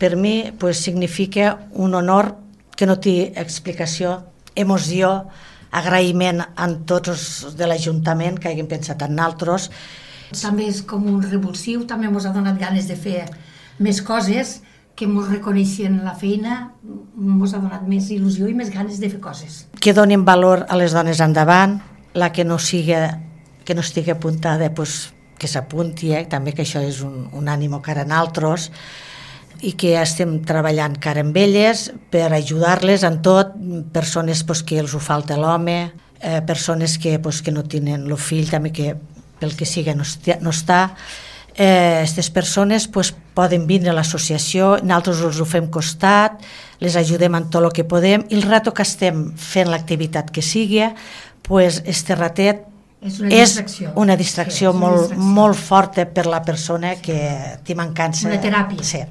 per mi significa un honor que no té explicació, emoció, agraïment a tots els de l'Ajuntament que hagin pensat en nosaltres. També és com un revulsiu, també ens ha donat ganes de fer més coses, que ens reconeixen la feina, ens ha donat més il·lusió i més ganes de fer coses. Que donin valor a les dones endavant, la que no estigui apuntada, que s'apunti, també que això és un ànimo cara a nosaltres, i que estem treballant cara amb elles per ajudar-les en tot, persones que els ho falta l'home, persones que no tenen el fill, també que pel que sigui no està. Aquestes persones poden vindre a l'associació, nosaltres els ho fem costat, les ajudem en tot el que podem, i el rato que estem fent l'activitat que sigui, este ratet és una distracció molt forta per la persona que té mancança. Una teràpia. Sí.